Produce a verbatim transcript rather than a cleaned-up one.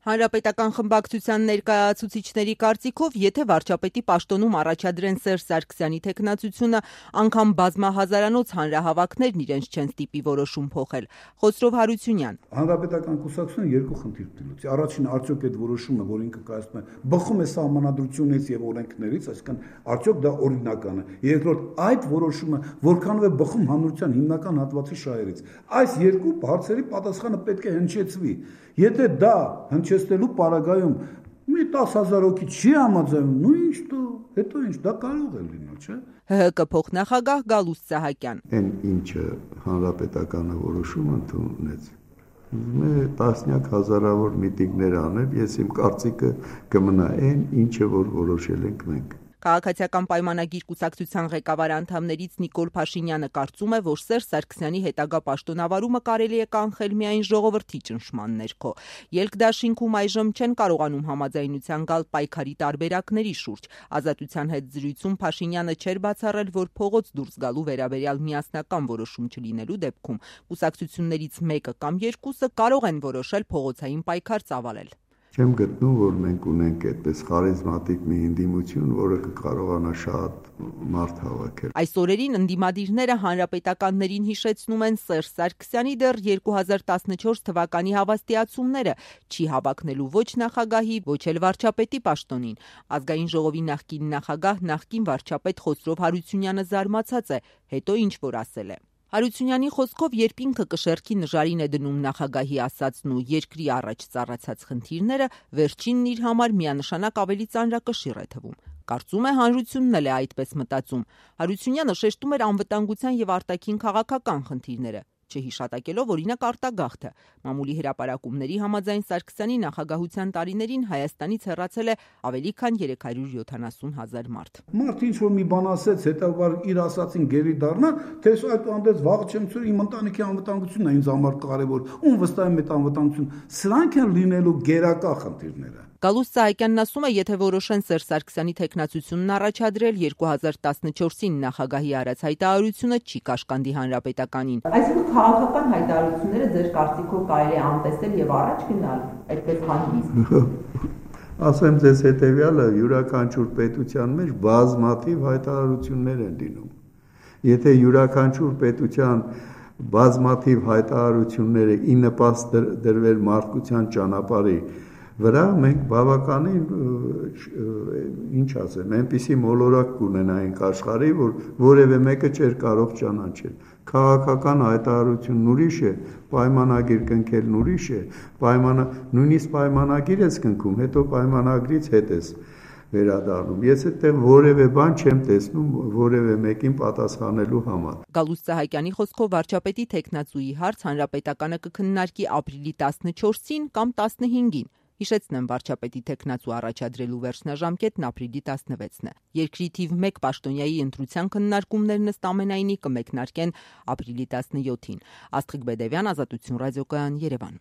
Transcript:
Հանրապետական խմբակցության ներկայացուցիչների կարծիքով, եթե վարչապետի պաշտոնում առաջադրեն Սերժ Սարգսյանի թեկնածությունը, անգամ բազմահազարանոց հանրահավաքներն իրենց չեն ստիպի որոշում փոխել։ Խոսրով Հարությունյան. Հանրապետական կուսակցությունը երկու խնդիր դիմացի։ Առաջինը, արդյոք այդ որոշումը, որ ինքը կայացնում է, բխում է սահմանադրությունից եւ օրենքներից, այսինքն արդյոք դա օրինական է։ Երկրորդ, այդ որոշումը որքանով է բխում հանրության հիմնական հատվածի շահերից։ Այս երկու հարցերի պատասխանը պետք է հնչեցվի։ Եթե դա հնչեցնելու պարագայում մի տասը հազար հոգի չի համաձայնում, նույն ինչ դու, հետո ինչ, դա կարող է լինել, չէ՞։ ՀՀԿ փոխնախագահ Գալուստ Սահակյան. Այն ինչը հանրապետականը որոշում ընդունեց, տասնյակ հազարավոր միտինգներ անել, ես իմ կարծիքը կմնա այն, ինչը որ որոշել ենք մենք։ Քաղաքացիական պայմանագիր կուսակցության ղեկավար անդամներից Նիկոլ Փաշինյանը կարծում է, որ Սերժ Սարգսյանի հետագա պաշտոնավարումը կարելի է կանխել միայն ժողովրդի ճնշման ներքո։ Ելք-դաշինքում այժմ չեն կարողանում համաձայնության գալ պայքարի տարբերակների շուրջ։ Ազատության հետ զրույցում Փաշինյանը չէր բացառել, որ փողոց դուրս գալու վերաբերյալ միասնական որոշում չլինելու դեպքում կուսակցություններից մեկը կամ երկուսը կարող են որոշել փողոցային պայքար ծավալել։ Չեմ գտնում, որ մենք ունենք այդպես խարիզմատիկ մի ընդդիմություն, որը կկարողանա շատ մարդ հավաքել։ Այս օրերին ընդդիմադիրները հանրապետականներին հիշեցնում են Սերժ Սարգսյանի դեռ երկու հազար տասնչորս թվականի հավաստիացումները՝ չի հավակնելու ոչ նախագահի, ոչ էլ վարչապետի պաշտոնին։ Ազգային ժողովի նախկին նախագահ, նախկին վարչապետ Խոսրով Հարությունյանը զարմացած է, հետո ինչ որ ասել է։ Հարությունյանի խոսքով, երբ ինքը կշեռքի նժարին է դնում նախագահի ասածն ու երկրի առաջ ծառացած խնդիրները, վերջինն իր համար միանշանակ ավելի ծանրակշիռ է թվում։ Կարծում է հանրությունն էլ է այդպես մտածում։ Հարությունյանը շեշտում էր անվտանգության եւ արտաքին քաղաքական խնդիրները, չհիշատակելով օրինակ արտագաղթը։ Մամուլի հրապարակումների համաձայն Սարգսյանի նախագահության տարիներին Հայաստանից հեռացել է ավելի քան երեք հարյուր յոթանասուն հազար մարդ։ Մարդ ինչ որ մի բան ասեց, հետո իր ասածին գերի դառնա, թե այդ անդեց վաղ չեմ ցույց իմ ընտանիքի անվտանգությունն է ինձ համար կարևոր։ Ում վստահ եմ այդ անվտանգություն։ Սրանք են լինելու գերակա խնդիրները։ Գալուստ Սահակյանն ասում է, եթե որոշեն Սերժ Սարգսյանի թեկնածությունն առաջադրել, երկու հազար տասնչորսին նախագահի արած հայտարարությունը չի կաշկանդի հանրապետականին։ Այսինքն քաղաքական հայտարարությունները ձեր կարծիքով կարելի է անտեսել եւ առաջ գնալ, այդպես հանդիստ։ Ասեմ ձեզ հետեւյալը, յուրաքանչյուր պետության մեջ բազմաթիվ հայտարարություններ են լինում։ Եթե յուրաքանչյուր պետության բազմաթիվ հայտարարությունները ի նպաստ դրվել մարդկության ճանապարհի վրա, մենք բավականին, ինչ ասեմ, այնպիսի մոլորակ կունենայինք աշխարհի, որ որևէ մեկը չէր կարող ճանաչել։ Քաղաքական հայտարարությունն ուրիշ է, պայմանագիր կնքելն ուրիշ է, պայմանա նույնիսկ պայմանագիր ես կնքում, հետո պայմանագրից հետ ես վերադառնում։ Ես այդտեղ որևէ բան չեմ տեսնում որևէ մեկին պատասխանելու համար։ Գալուստ Սահակյանի խոսքով վարչապետի թեկնածուի հարց հանրապետականը կքննարկի ապրիլի տասնչորսին կամ տասնհինգին։ Հիշեցնեմ, վարչապետի թեկնածու առաջադրելու վերջնաժամկետն ապրիլի տասնվեցն է։ Երկրի թիվ մեկ պաշտոնյայի ընտրության քննարկումներն ըստ ամենայնի կմեկնարկեն ապրիլի տասնյոթին։ Աստղիկ Բեդևյան, Ազատություն ռադիոկայան, Երևան։